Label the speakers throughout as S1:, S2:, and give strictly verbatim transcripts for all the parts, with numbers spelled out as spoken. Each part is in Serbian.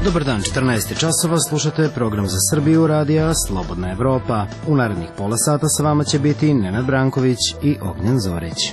S1: Dobar dan, četrnaest časova, slušate program za Srbiju radija Slobodna Evropa. U narednih pola sata sa vama će biti Nenad Branković i Ognjen Zorić.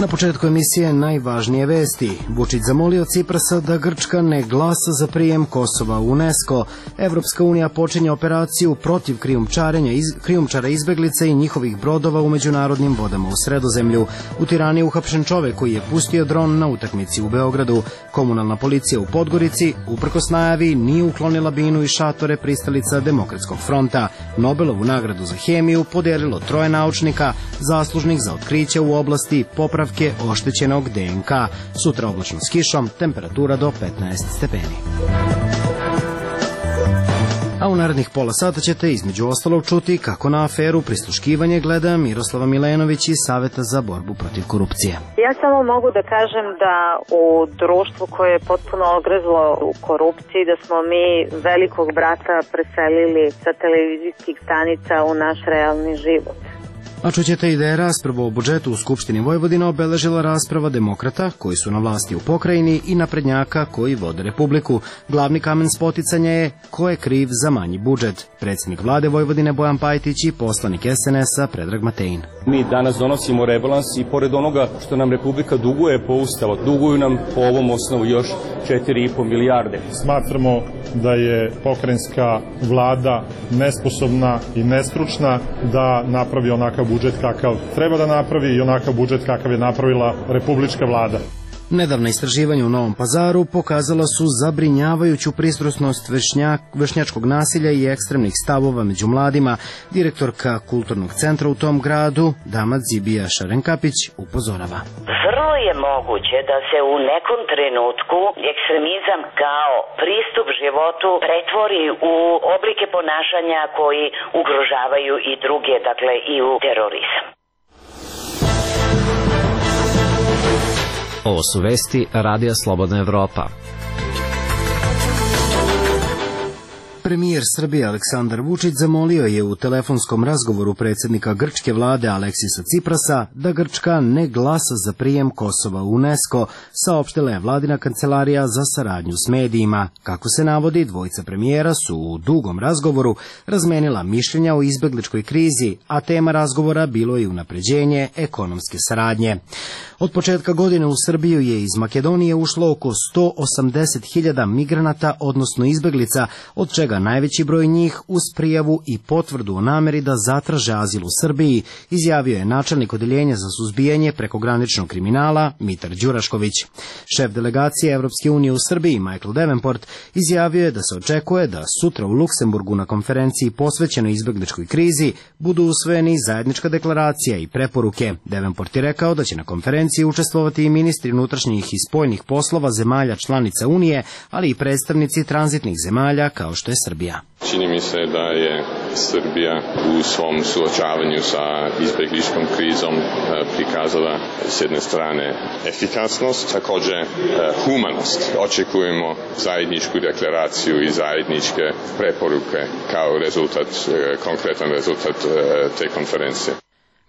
S1: Na početku emisije najvažnije vesti. Vučić zamolio Ciprasa da Grčka ne glasa za prijem Kosova u UNESCO. Evropska unija počinje operaciju protiv krijumčarenja iz, krijumčara izbeglica i njihovih brodova u međunarodnim vodama u Sredozemlju. U Tirani uhapšen čovek koji je pustio dron na utakmici u Beogradu. Komunalna policija u Podgorici, uprkos najavi, nije uklonila binu i šatore pristalica Demokratskog fronta. Nobelovu nagradu za hemiju podelilo troje naučnika zaslužnih za otkriće u oblasti popravke oštećenog D N K. Sutra oblačno s kišom, temperatura do petnaest stepeni. A u narednih pola sata ćete između ostalog čuti kako na aferu prisluškivanje gleda Miroslava Milenović iz Saveta za borbu protiv korupcije.
S2: Ja samo mogu da kažem da u društvu koje je potpuno ogrezlo u korupciji, da smo mi velikog brata preselili sa televizijskih stanica u naš realni život.
S1: A čućete i da je rasprava o budžetu u Skupštini Vojvodine obeležila rasprava demokrata koji su na vlasti u pokrajini i naprednjaka koji vode Republiku. Glavni kamen spoticanja je ko je kriv za manji budžet. Predsjednik vlade Vojvodine Bojan Pajtić i poslanik S N S-a Predrag Matein.
S3: Mi danas donosimo rebalans i pored onoga što nam Republika duguje po Ustavu, duguju nam po ovom osnovu još četiri i po milijarde.
S4: Smatramo da je pokrajinska vlada nesposobna i nestručna da napravi onakav budžet kakav treba da napravi i onakav budžet kakav je napravila republička vlada.
S1: Nedavna istraživanja u Novom Pazaru pokazala su zabrinjavajuću pristrasnost vršnjak, vršnjačkog nasilja i ekstremnih stavova među mladima. Direktorka kulturnog centra u tom gradu, dama Zibija Šarenkapić, upozorava.
S5: Vrlo je moguće da se u nekom trenutku ekstremizam kao pristup životu pretvori u oblike ponašanja koji ugrožavaju i druge, dakle i u terorizam.
S6: Ovo su vesti Radija Slobodna Evropa.
S1: Premijer Srbije Aleksandar Vučić zamolio je u telefonskom razgovoru predsjednika grčke vlade Aleksisa Ciprasa da Grčka ne glasa za prijem Kosova u UNESCO, saopštila je vladina kancelarija za saradnju s medijima. Kako se navodi, dvojica premijera su u dugom razgovoru razmenila mišljenja o izbegličkoj krizi, a tema razgovora bilo je unapređenje ekonomske saradnje. Od početka godine u Srbiju je iz Makedonije ušlo oko sto osamdeset hiljada migranata, odnosno izbeglica, od čega najveći broj njih uz prijavu i potvrdu o nameri da zatraže azil u Srbiji, izjavio je načelnik odeljenja za suzbijanje prekograničnog kriminala Mitar Đurašković. Šef delegacije Evropske unije u Srbiji Michael Davenport izjavio je da se očekuje da sutra u Luksemburgu na konferenciji posvećenoj izbegličkoj krizi budu usvojeni zajednička deklaracija i preporuke. Davenport je rekao da će na konferenciji učestvovati i ministri unutrašnjih i spoljnih poslova zemalja članica Unije, ali i predstavnici tranzitnih zemalja kao što je Srbija.
S7: Čini mi se da je Srbija u svom suočavanju sa izbegličkom krizom prikazala s jedne strane efikasnost, također humanost. Očekujemo zajedničku deklaraciju i zajedničke preporuke kao rezultat, konkretan rezultat te konferencije.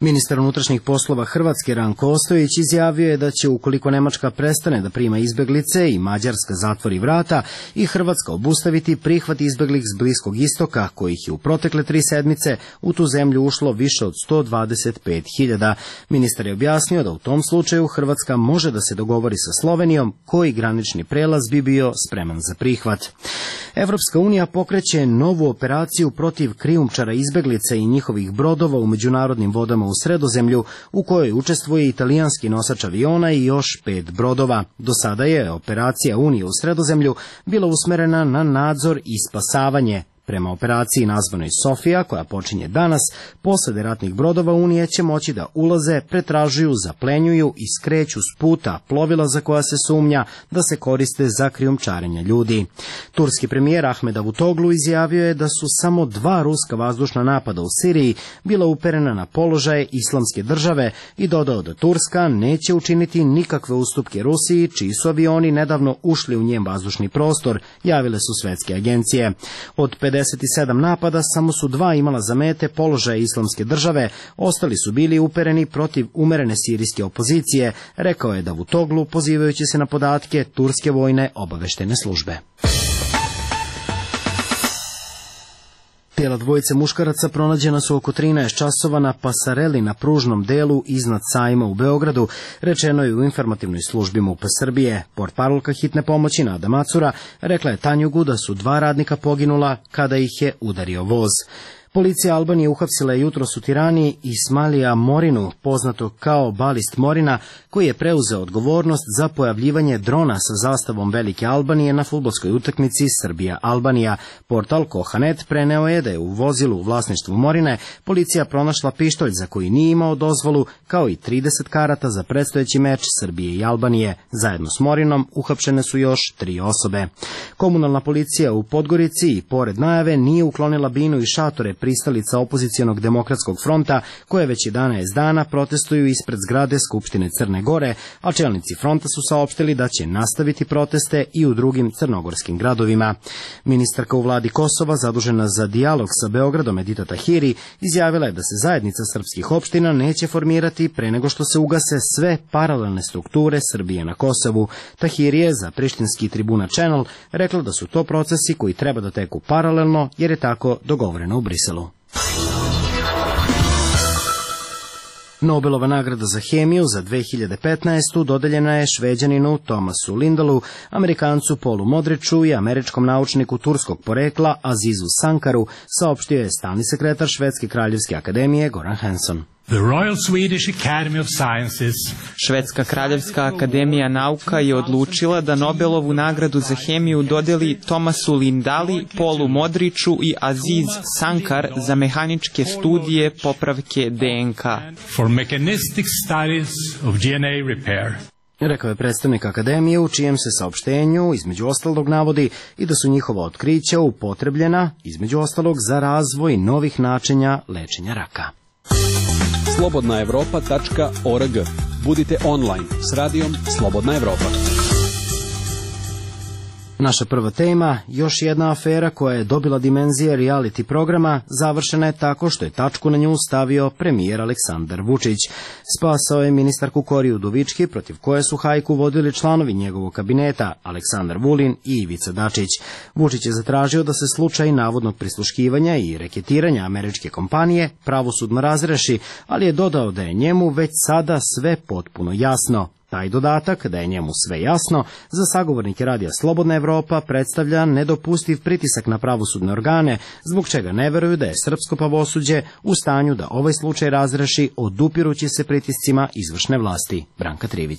S1: Ministar unutrašnjih poslova Hrvatske Ranko Ostojić izjavio je da će, ukoliko Nemačka prestane da prima izbeglice i Mađarska zatvori vrata, i Hrvatska obustaviti prihvat izbeglih s Bliskog istoka, kojih je u protekle tri sedmice u tu zemlju ušlo više od sto dvadeset pet hiljada. Ministar je objasnio da u tom slučaju Hrvatska može da se dogovori sa Slovenijom, koji granični prelaz bi bio spreman za prihvat. Evropska unija pokreće novu operaciju protiv krijumčara izbeglica i njihovih brodova u međunarodnim vodama u Sredozemlju, u kojoj učestvuje italijanski nosač aviona i još pet brodova. Do sada je operacija Unije u Sredozemlju bila usmerena na nadzor i spasavanje. Prema operaciji nazvanoj Sofija, koja počinje danas, posade ratnih brodova Unije će moći da ulaze, pretražuju, zaplenjuju i skreću s puta plovila za koja se sumnja da se koriste za krijumčarenje ljudi. Turski premijer Ahmed Davutoglu izjavio je da su samo dva ruska vazdušna napada u Siriji bila uperena na položaje Islamske države i dodao da Turska neće učiniti nikakve ustupke Rusiji, čiji su avioni nedavno ušli u njen vazdušni prostor, javile su svetske agencije. Od pedeset pedeset sedam napada samo su dva imala za mete položaje Islamske države, ostali su bili upereni protiv umerene sirijske opozicije, rekao je Davutoglu, pozivajući se na podatke turske vojne obaveštene službe. Tijela dvojice muškaraca pronađena su oko trinaest časova na pasareli na pružnom delu iznad sajma u Beogradu, rečeno je u informativnoj službi MUP-a Srbije. Portparolka hitne pomoći Nada Macura rekla je Tanjugu da su dva radnika poginula kada ih je udario voz. Policija Albanije uhapsila je jutros u Tirani Ismailija Morinu, poznatog kao balist Morina, koji je preuzeo odgovornost za pojavljivanje drona sa zastavom Velike Albanije na fudbalskoj utakmici Srbija-Albanija. Portal Kohanet preneo je da je u vozilu u vlasništvu Morine policija pronašla pištolj za koji nije imao dozvolu, kao i trideset karata za predstojeći meč Srbije i Albanije. Zajedno s Morinom uhapšene su još tri osobe. Komunalna policija u Podgorici i pored najave nije uklonila binu i šatore pristalica opozicijonog demokratskog fronta, koje već jedanaest dana protestuju ispred zgrade Skupštine Crne Gore, a čelnici fronta su saopštili da će nastaviti proteste i u drugim crnogorskim gradovima. Ministarka u vladi Kosova, zadužena za dijalog sa Beogradom, Edita Tahiri, izjavila je da se zajednica srpskih opština neće formirati pre nego što se ugase sve paralelne strukture Srbije na Kosovu. Tahiri je za prištinski Tribuna Channel rekla da su to procesi koji treba da teku paralelno, jer je tako dogovoreno u Briselu. Nobelova nagrada za hemiju za dve hiljade petnaestu dodeljena je Šveđaninu Tomasu Lindalu, Amerikancu Paulu Modriću i američkom naučniku turskog porekla Azizu Sankaru, saopštio je stalni sekretar Švedske kraljevske akademije Goran Hansson.
S8: The Royal Swedish Academy of Sciences.
S9: Švedska kraljevska akademija nauka je odlučila da Nobelovu nagradu za hemiju dodeli Tomasu Lindali, Paulu Modriću i Aziz Sankar za mehaničke studije popravke D N K.
S8: For mechanistic studies of D N A repair.
S1: Rekao je predstavnik akademije, u čijem se saopštenju između ostalog navodi i da su njihova otkrića upotrebljena između ostalog za razvoj novih načina lečenja raka.
S10: slobodna evropa tačka org. Budite online s radijom Slobodna Evropa.
S1: Naša prva tema, još jedna afera koja je dobila dimenzije reality programa, završena je tako što je tačku na nju stavio premijer Aleksandar Vučić. Spasao je ministarku Koriju Udovički, protiv koje su hajku vodili članovi njegovog kabineta, Aleksandar Vulin i Ivica Dačić. Vučić je zatražio da se slučaj navodnog prisluškivanja i reketiranja američke kompanije pravosudno razreši, ali je dodao da je njemu već sada sve potpuno jasno. Taj dodatak, da je njemu sve jasno, za sagovornike radija Slobodna Evropa predstavlja nedopustiv pritisak na pravosudne organe, zbog čega ne veruju da je srpsko pravosuđe u stanju da ovaj slučaj razreši odupirući se pritiscima izvršne vlasti. Branka Trivić.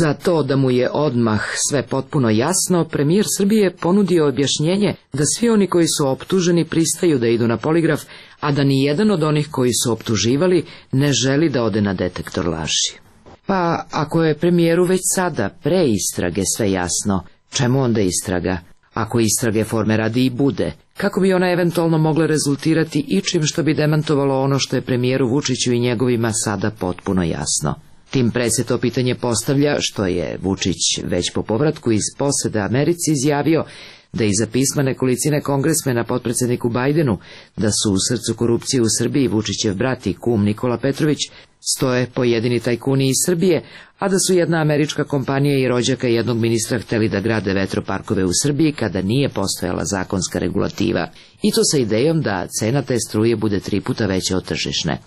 S11: Za to da mu je odmah sve potpuno jasno, premijer Srbije ponudio objašnjenje da svi oni koji su optuženi pristaju da idu na poligraf, a da ni jedan od onih koji su optuživali ne želi da ode na detektor laži. Pa, ako je premijeru već sada pre istrage sve jasno, čemu onda istraga? Ako istrage forme radi i bude, kako bi ona eventualno mogla rezultirati ičim što bi demantovalo ono što je premijeru Vučiću i njegovima sada potpuno jasno? Tim pre se to pitanje postavlja što je Vučić već po povratku iz posede Americi izjavio da iza pisma nekolicine kongresmena potpredsedniku Bajdenu da su u srcu korupcije u Srbiji Vučićev brat i kum Nikola Petrović stoje pojedini tajkuni iz Srbije, a da su jedna američka kompanija i rođaka jednog ministra hteli da grade vetroparkove u Srbiji kada nije postojala zakonska regulativa, i to sa idejom da cena te struje bude tri puta veća od tržišne.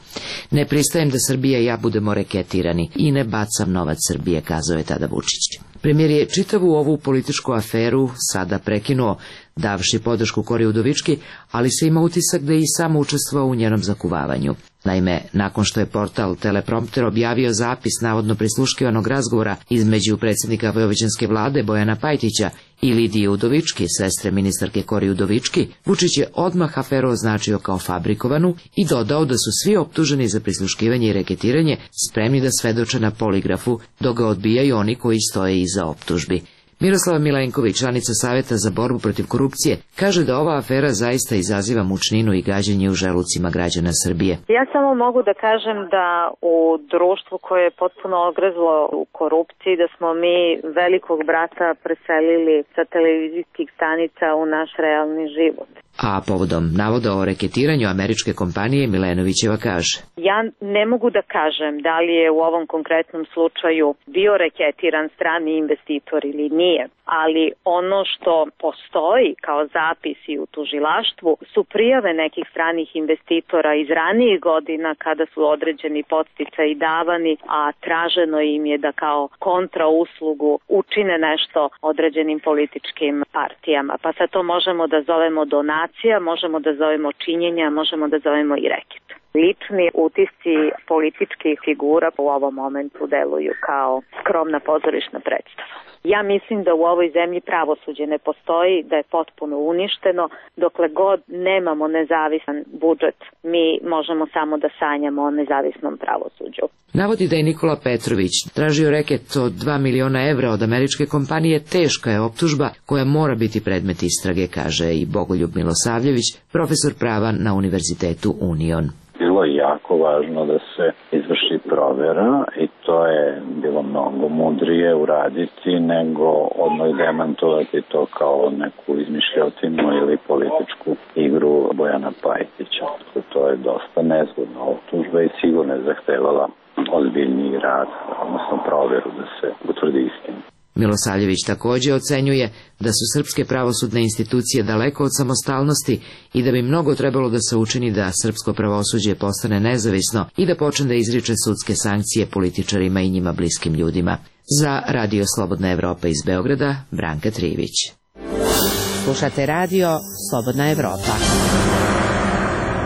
S11: Ne pristajem da Srbija i ja budemo reketirani i ne bacam novac Srbije, kazao je tada Vučić. Premijer je čitavu ovu političku aferu sada prekinuo, davši podršku Kori Udovički, ali se ima utisak da je i sam učestvovao u njenom zakuvavanju. Naime, nakon što je portal Teleprompter objavio zapis navodno prisluškivanog razgovora između predsjednika vojvođanske vlade Bojana Pajtića i Lidije Udovički, sestre ministarke Kori Udovički, Vučić je odmah aferu označio kao fabrikovanu i dodao da su svi optuženi za prisluškivanje i reketiranje spremni da svedoče na poligrafu, dok ga odbijaju oni koji stoje iza optužbi. Miroslava Milenković, članica Saveta za borbu protiv korupcije, kaže da ova afera zaista izaziva mučninu i gađenje u želucima građana Srbije.
S2: Ja samo mogu da kažem da u društvu koje je potpuno ogrezlo u korupciji, da smo mi velikog brata preselili sa televizijskih stanica u naš realni život.
S11: A povodom navoda o reketiranju američke kompanije Milenovićeva kaže:
S2: Ja ne mogu da kažem da li je u ovom konkretnom slučaju bio reketiran strani investitor ili nije, ali ono što postoji kao zapisi u tužilaštvu su prijave nekih stranih investitora iz ranijih godina kada su određeni podsticaji davani, a traženo im je da kao kontrauslugu učine nešto određenim političkim partijama. Pa sad to možemo da zovemo donacija, možemo da zovemo činjenja, možemo da zovemo i reket. Lični utisci političkih figura u ovom momentu deluju kao skromna pozorišna predstava. Ja mislim da u ovoj zemlji pravosuđe ne postoji, da je potpuno uništeno. Dokle god nemamo nezavisan budžet, mi možemo samo da sanjamo o nezavisnom pravosuđu.
S11: Navodi da je Nikola Petrović tražio reket od dva miliona evra od američke kompanije. Teška je optužba koja mora biti predmet istrage, kaže i Bogoljub Milosavljević, profesor prava na Univerzitetu Union.
S12: Bilo je jako važno da se izvrši provera i to je bilo mnogo mudrije uraditi nego odmah demantovati to kao neku izmišljotinu ili političku igru Bojana Pajtića. To je dosta nezgodna optužba i sigurno je zahtevala ozbiljniji rad, odnosno proveru da se utvrdi istinu.
S11: Milosavljević također ocenjuje da su srpske pravosudne institucije daleko od samostalnosti i da bi mnogo trebalo da se učini da srpsko pravosuđe postane nezavisno i da počne da izriče sudske sankcije političarima i njima bliskim ljudima. Za Radio Slobodna Evropa iz Beograda, Branka Trivić.
S13: Slušate Radio Slobodna Evropa.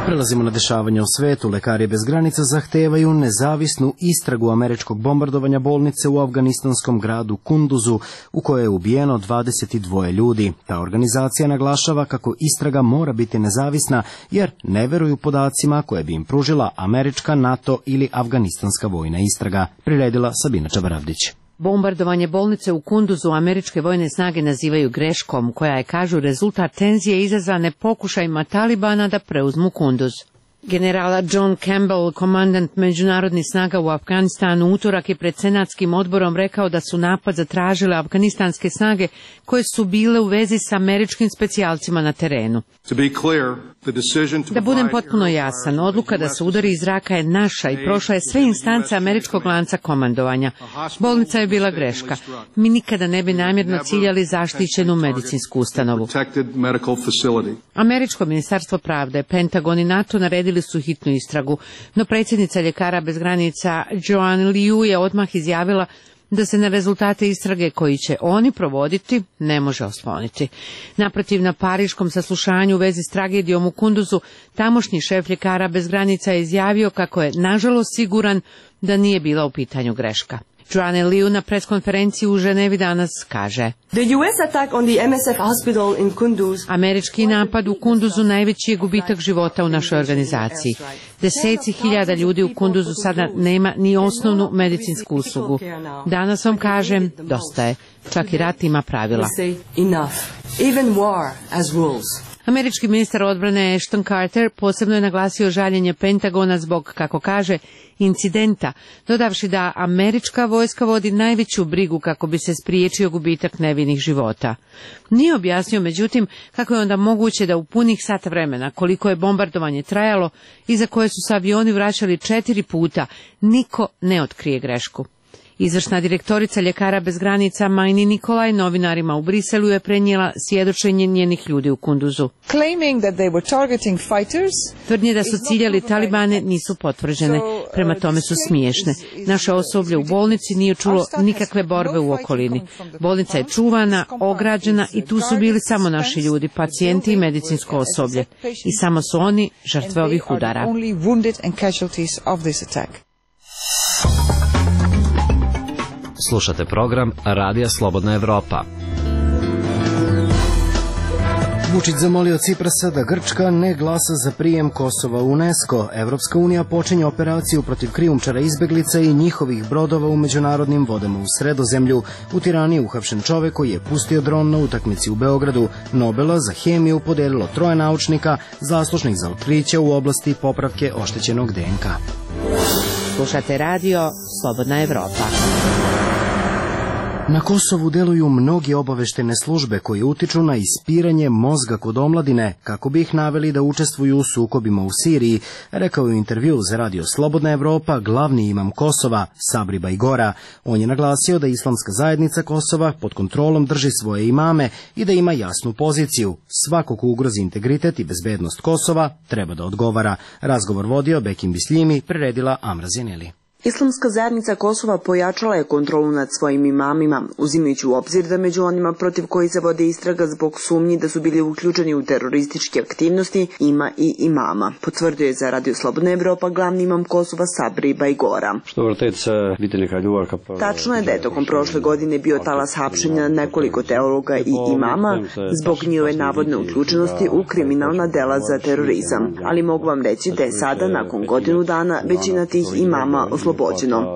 S1: Prelazimo na dešavanja u svetu. Lekari bez granica zahtevaju nezavisnu istragu američkog bombardovanja bolnice u afganistanskom gradu Kunduzu, u kojoj je ubijeno dvadeset dva ljudi. Ta organizacija naglašava kako istraga mora biti nezavisna, jer ne veruju podacima koje bi im pružila američka, NATO ili afganistanska vojna istraga. Priredila Sabina Čabaravdić.
S13: Bombardovanje bolnice u Kunduzu američke vojne snage nazivaju greškom, koja je, kažu, rezultat tenzije izazvane pokušajima Talibana da preuzmu Kunduz. Generala John Campbell, komandant međunarodnih snaga u Afganistanu, utorak je pred senatskim odborom rekao da su napad zatražile afganistanske snage koje su bile u vezi sa američkim specijalcima na terenu. Da budem potpuno jasan, odluka da se udari iz zraka je naša i prošla je sve instance američkog lanca komandovanja. Bolnica je bila greška. Mi nikada ne bi namjerno ciljali zaštićenu medicinsku ustanovu. Američko ministarstvo pravde, Pentagon i NATO naredili su hitnu istragu, no predsjednica Ljekara bez granica Joanne Liu je odmah izjavila da se na rezultate istrage koji će oni provoditi ne može osloniti. Naprotiv, na pariškom saslušanju u vezi s tragedijom u Kunduzu, tamošnji šef Ljekara bez granica je izjavio kako je nažalost siguran da nije bila u pitanju greška. Joanne Liu na preskonferenciji u Ženevi danas kaže: Američki napad u Kunduzu najveći je gubitak života u našoj organizaciji. Deseci hiljada ljudi u Kunduzu sada nema ni osnovnu medicinsku uslugu. Danas vam kažem, dosta je. Čak i rat ima pravila. Američki ministar odbrane Ashton Carter posebno je naglasio žaljenje Pentagona zbog, kako kaže, incidenta, dodavši da američka vojska vodi najveću brigu kako bi se spriječio gubitak nevinih života. Nije objasnio, međutim, kako je onda moguće da u punih sat vremena, koliko je bombardovanje trajalo i za koje su se avioni vraćali četiri puta, niko ne otkrije grešku. Izvršna direktorica Ljekara bez granica Majni Nikolaj novinarima u Briselu je prenijela svjedočenje njenih ljudi u Kunduzu. Tvrdnje da su ciljali Talibane nisu potvrđene, prema tome su smiješne. Naše osoblje u bolnici nije čulo nikakve borbe u okolini. Bolnica je čuvana, ograđena i tu su bili samo naši ljudi, pacijenti i medicinsko osoblje. I samo su oni žrtve ovih udara.
S6: Slušate program Radija Slobodna Evropa.
S1: Vučić zamolio Ciprasa da Grčka ne glasa za prijem Kosova u UNESCO. Evropska unija počinje operaciju protiv krijumčara izbeglica i njihovih brodova u međunarodnim vodama u Sredozemlju. U Tirani je uhapšen čovek koji je pustio dron na utakmici u Beogradu. Nobela za hemiju podelilo troje naučnika zaslužnih za otkriće u oblasti popravke oštećenog D N K.
S13: Slušate radio Slobodna Evropa.
S1: Na Kosovu deluju mnogi obaveštene službe koje utiču na ispiranje mozga kod omladine kako bi ih naveli da učestvuju u sukobima u Siriji, rekao je u intervju za radio Slobodna Evropa glavni imam Kosova, Sabri Bajgora. On je naglasio da islamska zajednica Kosova pod kontrolom drži svoje imame i da ima jasnu poziciju. Svako ko ugrozi integritet i bezbednost Kosova treba da odgovara. Razgovor vodio Bekim Bisljimi, priredila Amra Zeneli.
S14: Islamska zajednica Kosova pojačala je kontrolu nad svojim imamima, uzimajući u obzir da među onima protiv koji se vode istraga zbog sumnji da su bili uključeni u terorističke aktivnosti ima i imama. Potvrdio je za radio Slobodna Evropa glavni imam Kosova Sabri Bajgora. Tačno je da je tokom prošle godine bio talas hapšenja nekoliko teologa i imama zbog njihove navodne uključenosti u kriminalna dela za terorizam. Ali mogu vam reći da je sada, nakon godinu dana, većina tih imama oslobođena.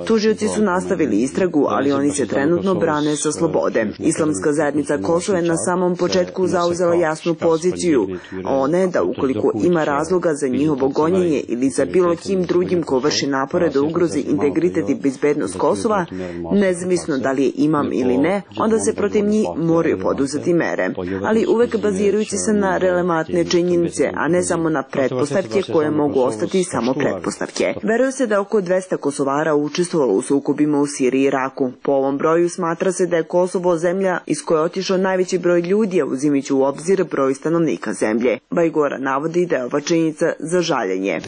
S14: Tužioci su nastavili istragu, ali oni se trenutno brane sa slobode. Islamska zajednica Kosova je na samom početku zauzela jasnu poziciju. Ona je da ukoliko ima razloga za njihovo gonjenje ili za bilo kim drugim ko vrši napore da ugrozi integritet i bezbednost Kosova, nezavisno da li je imam ili ne, onda se protiv njih moraju poduzeti mere. Ali uvek bazirajući se na relevantne činjenice, a ne samo na pretpostavke koje mogu ostati samo pretpostavke. Veruje se da oko dvesta Kosovara učestvovalo u sukobima u Siriji i Iraku. Po ovom broju smatra se da je Kosovo zemlja iz koje je otišao najveći broj ljudi, a uzimajući u obzir broj stanovnika zemlje. Bajgora navodi da je ova činjenica za žaljenje.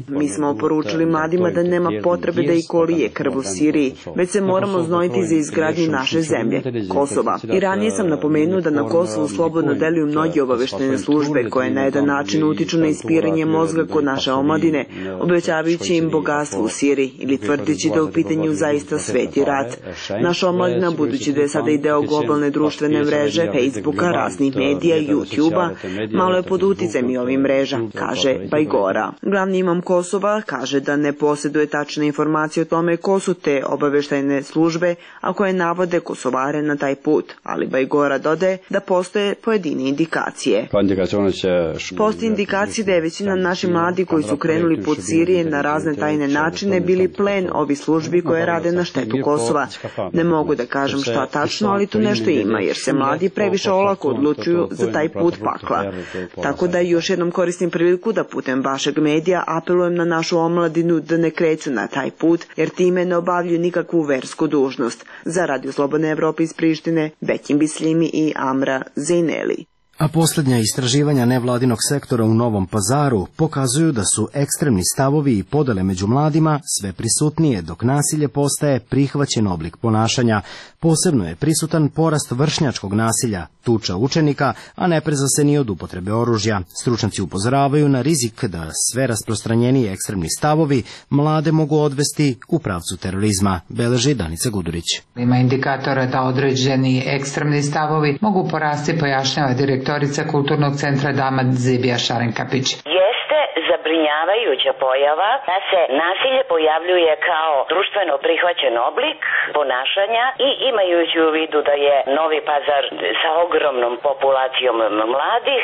S14: Mi smo poručili mladima da nema potrebe da i kolije krv u Siriji, već se moramo znojiti za izgradnju naše zemlje, Kosova. I ranije sam napomenuo da na Kosovu slobodno deluju mnogi obaveštene službe koje na jedan način utiču na ispiranje mozga kod naše omladine, obećavajući im bogatstvo u Siriji ili tvrdići da u pitanju zaista sveti rat. Naša omladina, budući da je sada i deo globalne društvene mreže, Facebooka, raznih medija, YouTube-a, malo je pod uticajem i ovih mreža, kaže Bajgora. Glavni imam Kosova kaže da ne posjeduje tačne informacije o tome ko su te obaveštajne službe, a koje navode Kosovare na taj put, ali Bajgora dodaje da postoje pojedine indikacije. Postoji indikacije da je većina naših mladi koji su krenuli put Sirije na razne tajne načine bili plen ovih službi koje rade na štetu Kosova. Ne mogu da kažem šta tačno, ali tu nešto ima, jer se mladi previše olako odlučuju za taj put pakla. Tako da još jednom koristim priliku da putem vašeg medija apelujem na našu omladinu da ne kreću na taj put, jer time ne obavljaju nikakvu versku dužnost. Za Radio Slobodne Evrope iz Prištine, Bekim Bisljimi i Amra Zeneli.
S1: A posljednja istraživanja nevladinog sektora u Novom Pazaru pokazuju da su ekstremni stavovi i podele među mladima sve prisutnije, dok nasilje postaje prihvaćen oblik ponašanja. Posebno je prisutan porast vršnjačkog nasilja, tuča učenika, a ne preza se ni od upotrebe oružja. Stručnjaci upozoravaju na rizik da sve rasprostranjeniji ekstremni stavovi mlade mogu odvesti u pravcu terorizma, beleži Danica Gudurić.
S15: Ima indikatora da određeni ekstremni stavovi mogu porasti, pojašnjava direktor Kulturnog centra Dama Zibija Šarenkapić.
S5: Jeste zabrinjavajuća pojava da se nasilje pojavljuje kao društveno prihvaćen oblik ponašanja i imajući u vidu da je Novi Pazar sa ogromnom populacijom mladih,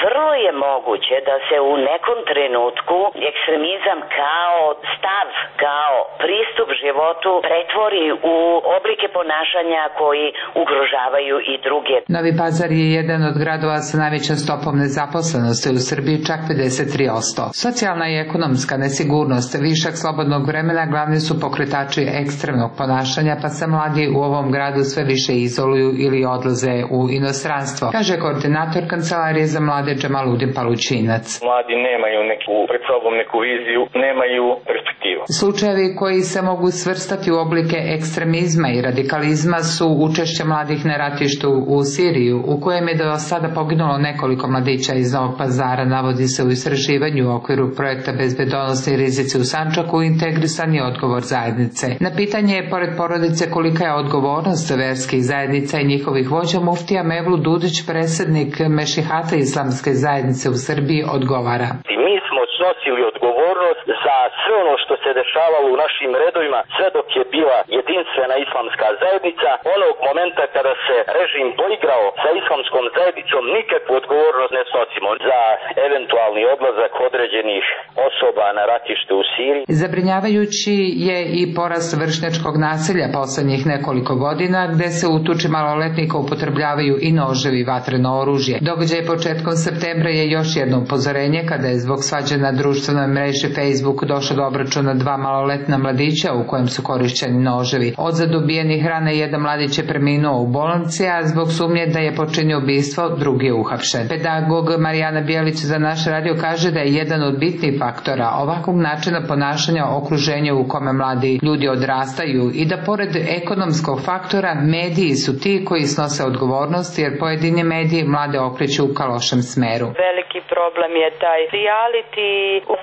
S5: vrlo je moguće da se u nekom trenutku ekstremizam kao stav, kao pristup životu pretvori u oblike ponašanja koji ugrožavaju i druge.
S15: Novi Pazar je jedan od gradova sa najvećom stopom nezaposlenosti u Srbiji, čak pedeset tri posto. Socijalna i ekonomska nesigurnost, višak slobodnog vremena glavni su pokretači ekstremnog ponašanja, pa se mladi u ovom gradu sve više izoluju ili odlaze u inostranstvo, kaže koordinator Kancelarije za mlade Džamaludin Palućinac.
S16: Mladi nemaju neku, pred sobom neku viziju, nemaju perspektivu.
S15: Slučajevi koji se mogu svrstati u oblike ekstremizma i radikalizma su učešće mladih na ratištu u Siriju, u kojem je do sada poginulo nekoliko mladića iz Novog Pazara, navodi se u istraživanju u okviru projekta Bezbedonosni rizici u Sandžaku integrisani odgovor zajednice. Na pitanje je, pored porodice, kolika je odgovornost verskih zajednica i njihovih vođa, muftija Mevlut Dudić, predsjednik Mešihata islamske zajednice u Srbiji, odgovara.
S16: Mi smo snosili odgovornost za sve ono što se dešavalo u našim redovima sve dok je bila jedinstvena islamska zajednica. Onog momenta kada se režim poigrao sa islamskom zajednicom, nikakvu odgovornost ne snosimo za eventualni odlazak određenih osoba na ratište u Siriji.
S15: Zabrinjavajući je i porast vršnjačkog nasilja poslednjih nekoliko godina, gde se u tuči maloletnika upotrebljavaju i noževi i vatreno oružje. Događaj početkom septembra je još jedno upozorenje kada je zbog svađe na društvenoj mreži Facebook došlo do obračuna dva maloletna mladića u kojem su korišćeni noževi. Od zadobijenih rana jedan mladić je preminuo u bolnici, a zbog sumnje da je počinio ubistvo, drugi je uhapšen. Pedagog Marijana Bijelić za naš radio kaže da je jedan od bitnih faktora ovakvog načina ponašanja okruženja u kome mladi ljudi odrastaju i da pored ekonomskog faktora mediji su ti koji snose odgovornost, jer pojedini mediji mlade okreću ka lošem smeru.
S17: Veliki problem je taj reality,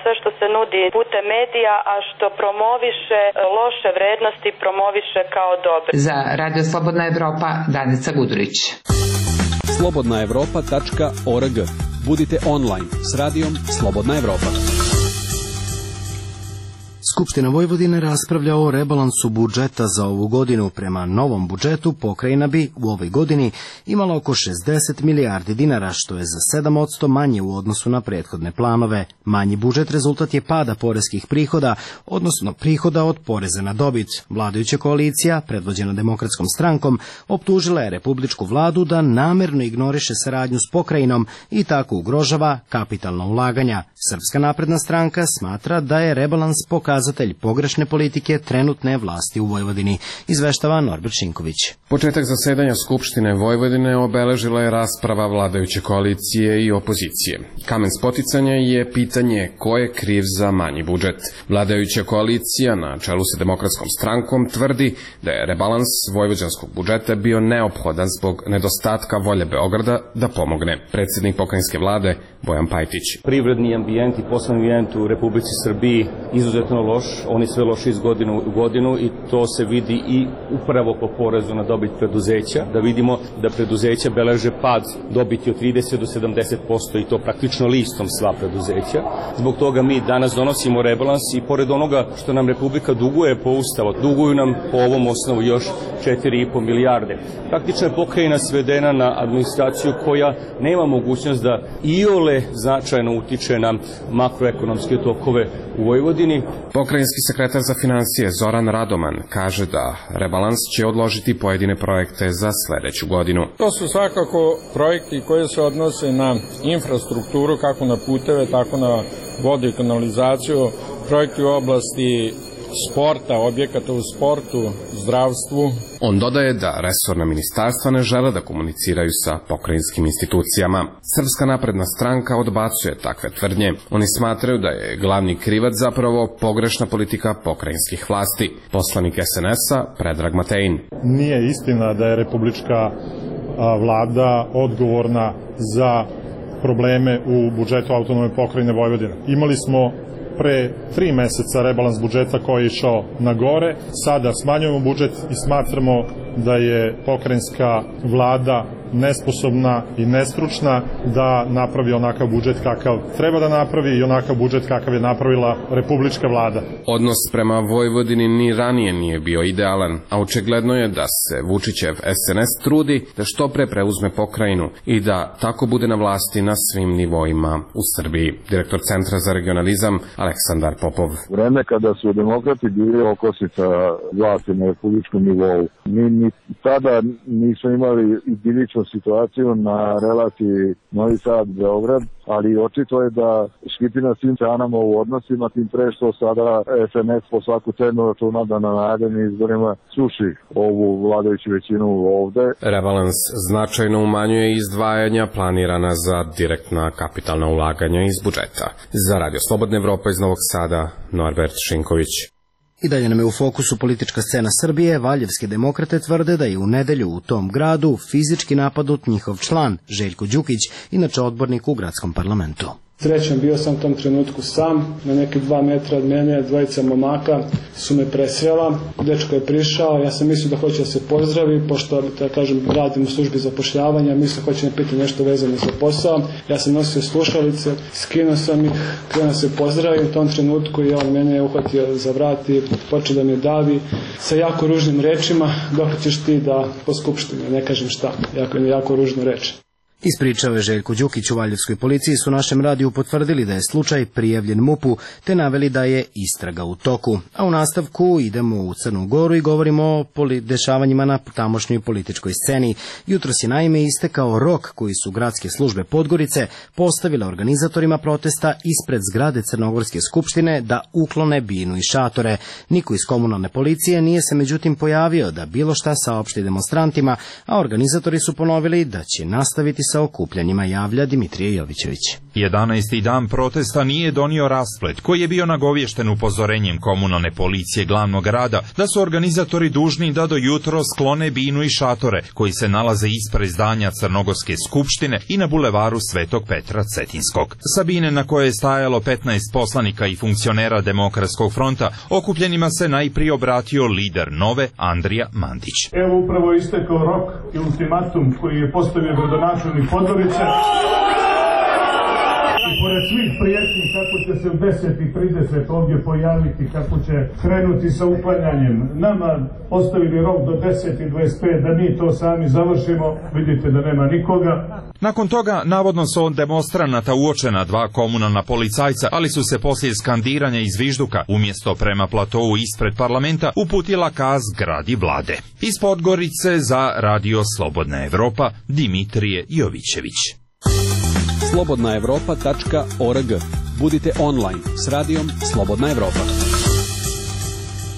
S17: sve što se nudi putem medija, a što promoviše loše vrednosti, promoviše kao dobre.
S15: Za Radio Slobodna Evropa, Danica Gudurić.
S10: slobodna evropa tačka org. Budite online s radijom Slobodna Evropa.
S1: Skupština Vojvodine raspravlja o rebalansu budžeta za ovu godinu. Prema novom budžetu pokrajina bi u ovoj godini imala oko šezdeset milijardi dinara, što je za sedam posto manje u odnosu na prethodne planove. Manji budžet rezultat je pada poreskih prihoda, odnosno prihoda od poreza na dobit. Vladajuća koalicija, predvođena Demokratskom strankom, optužila je republičku vladu da namerno ignoriše saradnju s pokrajinom i tako ugrožava kapitalna ulaganja. Srpska napredna stranka smatra da je rebalans pokazatelj pogrešne politike trenutne vlasti u Vojvodini, izveštava Norbert Šinković.
S18: Početak zasedanja Skupštine Vojvodine obeležila je rasprava vladajuće koalicije i opozicije. Kamen spoticanja je pitanje ko je kriv za manji budžet. Vladajuća koalicija na čelu sa Demokratskom strankom tvrdi da je rebalans vojvođanskog budžeta bio neophodan zbog nedostatka volje Beograda da pomogne. Predsjednik pokrajinske vlade Bojan Pajtić.
S3: Privredni ambijent i poslovni ambijent u Republici Srbiji izuzetno loš, oni sve loši iz godine u godinu i to se vidi i upravo po porezu na dobit preduzeća, da vidimo da preduzeća beleže pad dobiti od trideset do sedamdeset posto i to praktično listom sva preduzeća. Zbog toga mi danas donosimo rebalans i pored onoga što nam Republika duguje po ustavu, duguju nam po ovom osnovu još četiri i po milijarde. Praktično je pokrajina svedena na administraciju koja nema mogućnost da iole značajno utiče na makroekonomske tokove u Vojvodini.
S18: Pokrajinski sekretar za financije Zoran Radoman kaže da rebalans će odložiti pojedine projekte za sledeću godinu.
S19: To su svakako projekti koji se odnose na infrastrukturu, kako na puteve, tako na vodu i kanalizaciju, projekti u oblasti sporta, objekata u sportu, zdravstvu.
S18: On dodaje da resorna ministarstva ne žele da komuniciraju sa pokrajinskim institucijama. Srpska napredna stranka odbacuje takve tvrdnje. Oni smatraju da je glavni krivac zapravo pogrešna politika pokrajinskih vlasti. Poslanik es en es-a Predrag Matejin.
S4: Nije istina da je republička vlada odgovorna za probleme u budžetu autonomne pokrajine Vojvodine. Imali smo pre tri meseca rebalans budžeta koji je išao na gore. Sada smanjujemo budžet i smatramo da je pokrajinska vlada nesposobna i nestručna da napravi onakav budžet kakav treba da napravi i onakav budžet kakav je napravila republička vlada.
S18: Odnos prema Vojvodini ni ranije nije bio idealan, a očigledno je da se Vučićev es en es trudi da što pre preuzme pokrajinu i da tako bude na vlasti na svim nivoima u Srbiji. Direktor Centra za regionalizam Aleksandar Popov.
S20: Vreme kada su demokrati bili okosnica vlasti na republičkom nivou, mi ni tada nismo imali idiličnu situaciju na relaciji Novi Sad-Beograd, ali očito je da škripi na svim stranama u odnosima, tim pre što sada es en es po svaku cenu računa da na narednim izborima suši ovu vladajuću većinu ovde.
S18: Rebalans značajno umanjuje izdvajanja planirana za direktna kapitalna ulaganja iz budžeta. Za Radio Slobodna Evropa iz Novog Sada, Norbert Šinković.
S1: I dalje nam je u fokusu politička scena Srbije. Valjevske demokrate tvrde da je u nedelju u tom gradu fizički napadnut njihov član, Željko Đukić, inače odbornik u gradskom parlamentu.
S21: Srećan bio sam u tom trenutku sam, na neke dva metra od mene, dvojica momaka su me presrela, dečko je prišao, ja sam mislio da hoće da se pozdravi, pošto, da kažem, radim u službi zapošljavanja, mislio hoće me pitati nešto vezano za posao, ja sam nosio slušalice, skinuo sam ih, krenuo se pozdravi, u tom trenutku i on mene je uhvatio za vrat i počeo da me davi sa jako ružnim rečima, dok ćeš ti da po skupštini, ne kažem šta, jako, jako ružno reče.
S1: Ispričao je Željko Đukić. U Valjevskoj policiji su našem radiju potvrdili da je slučaj prijavljen MUP-u, te naveli da je istraga u toku. A u nastavku idemo u Crnu Goru i govorimo o dešavanjima na tamošnjoj političkoj sceni. Jutros je naime istekao rok koji su gradske službe Podgorice postavile organizatorima protesta ispred zgrade Crnogorske skupštine da uklone binu i šatore. Niko iz komunalne policije nije se međutim pojavio da bilo šta saopšti demonstrantima, a organizatori su ponovili da će nastaviti sa okupljanjima, javlja Dimitrije Jovićević.
S22: jedanaesti dan protesta nije donio rasplet koji je bio nagovješten upozorenjem komunalne policije glavnog grada da su organizatori dužni da do jutro sklone binu i šatore koji se nalaze ispred zdanja Crnogorske skupštine i na bulevaru Svetog Petra Cetinskog. Sa bine na koje je stajalo petnaest poslanika i funkcionera Demokratskog fronta, okupljenima se najprije obratio lider Nove Andrija Mandić.
S23: Evo upravo istekao rok i ultimatum koji je postavio gradonačelnik Podgorice. I pored svih prijetnji kako će se u deset i trideset ovdje pojaviti, kako će krenuti sa uklanjanjem, nama postavili rok do deset i dvadeset pet da mi to sami završimo, vidite da nema nikoga.
S22: Nakon toga, navodno su od demonstranata uočena dva komunalna policajca, ali su se poslije skandiranja i zvižduka, umjesto prema platovu ispred parlamenta, uputila ka zgradi vlade. Iz Podgorice za Radio Slobodna Evropa, Dimitrije Jovićević.
S10: slobodna evropa tačka org. Budite online s radijom Slobodna Evropa.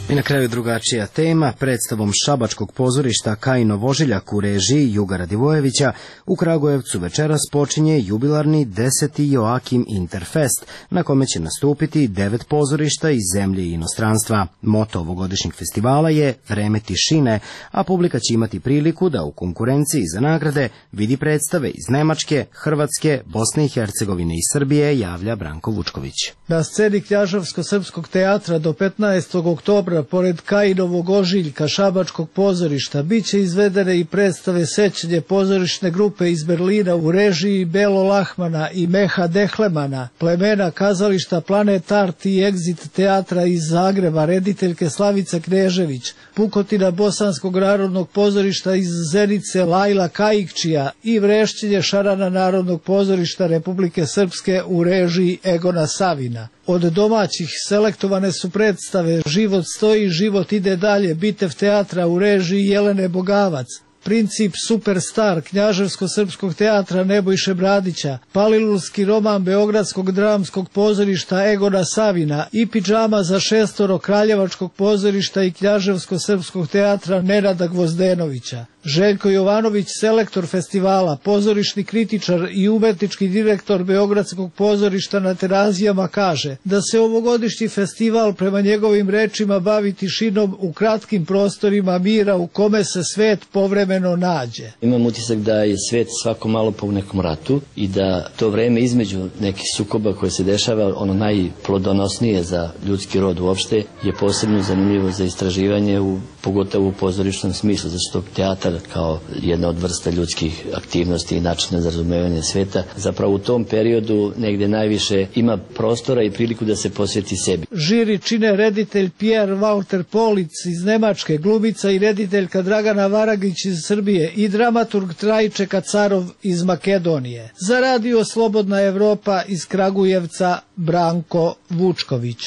S1: I na kraju drugačija tema, predstavom Šabačkog pozorišta Kajino Vožiljak u režiji Juga Radivojevića u Kragujevcu večeras počinje jubilarni deseti Joakim Interfest, na kome će nastupiti devet pozorišta iz zemlje i inostranstva. Moto ovogodišnjeg festivala je Vreme tišine, a publika će imati priliku da u konkurenciji za nagrade vidi predstave iz Nemačke, Hrvatske, Bosne i Hercegovine i Srbije, javlja Branko Vučković.
S24: Na sceni Knjaževsko-srpskog teatra do petnaestog oktobra pored Kajinovog ožiljka Šabačkog pozorišta biće izvedene i predstave Sećanje pozorišne grupe iz Berlina u režiji Belo Lahmana i Meha Dehlemana, plemena kazališta Planet Art i Exit teatra iz Zagreba rediteljke Slavice Knežević, pukotina Bosanskog narodnog pozorišta iz Zenice Lajla Kajikčija i Vrešćenje Šarana Narodnog pozorišta Republike Srpske u režiji Egona Savina. Od domaćih selektovane su predstave Život stoji, život ide dalje, Bitev teatra u režiji Jelene Bogavac, Princip Superstar Knjaževsko-srpskog teatra Nebojše Bradića, Palilulski roman Beogradskog dramskog pozorišta Egona Savina i Pidžama za šestoro Kraljevačkog pozorišta i Knjaževsko-srpskog teatra Nenada Gvozdenovića. Željko Jovanović, selektor festivala, pozorišni kritičar i umetnički direktor Beogradskog pozorišta na Terazijama, kaže da se ovogodišnji festival prema njegovim rečima bavi tišinom u kratkim prostorima mira u kome se svet povremeno nađe.
S25: Imam utisak da je svet svako malo po nekom ratu i da to vreme između nekih sukoba koje se dešava, ono najplodonosnije za ljudski rod uopšte, je posebno zanimljivo za istraživanje, u, pogotovo u pozorišnom smislu, zašto teatar kao jedna od vrsta ljudskih aktivnosti i načina za razumevanje sveta, zapravo u tom periodu negde najviše ima prostora i priliku da se posveti sebi.
S24: Žiri čine reditelj Pierre Walter Polic iz Nemačke, glumica i rediteljka Dragana Varagić iz Srbije i dramaturg Trajče Kacarov iz Makedonije. Za Radio Slobodna Evropa iz Kragujevca, Branko Vučković.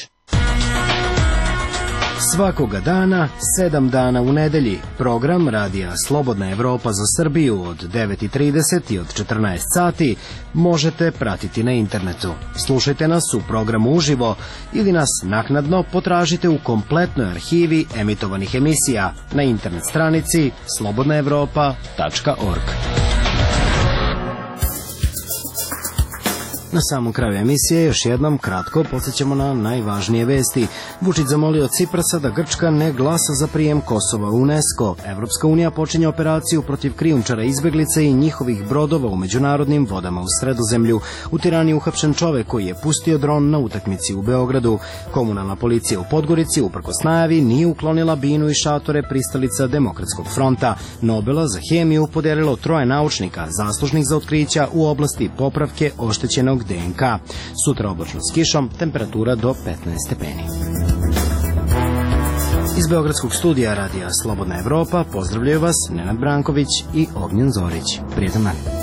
S1: Svakoga dana, sedam dana u nedelji, program Radija Slobodna Evropa za Srbiju od devet i trideset i od četrnaest sati možete pratiti na internetu. Slušajte nas u programu uživo ili nas naknadno potražite u kompletnoj arhivi emitovanih emisija na internet stranici slobodna evropa tačka org. Na samom kraju emisije još jednom kratko podsjećamo na najvažnije vesti. Vučić zamolio Ciprasa da Grčka ne glasa za prijem Kosova u UNESCO. Evropska unija počinje operaciju protiv krijumčara izbeglice i njihovih brodova u međunarodnim vodama u Sredozemlju. U Tirani je uhapšen čovek koji je pustio dron na utakmici u Beogradu. Komunalna policija u Podgorici uprkos najavi nije uklonila binu i šatore pristalica Demokratskog fronta. Nobela za hemiju podelilo troje naučnika zaslužnih za otkrića u oblasti popravke oštećenog D N K. Sutra oblačno s kišom, temperatura do petnaest stepeni. Iz Beogradskog studija Radija Slobodna Evropa pozdravljaju vas Nenad Branković i Ognjen Zorić. Prijetan dan.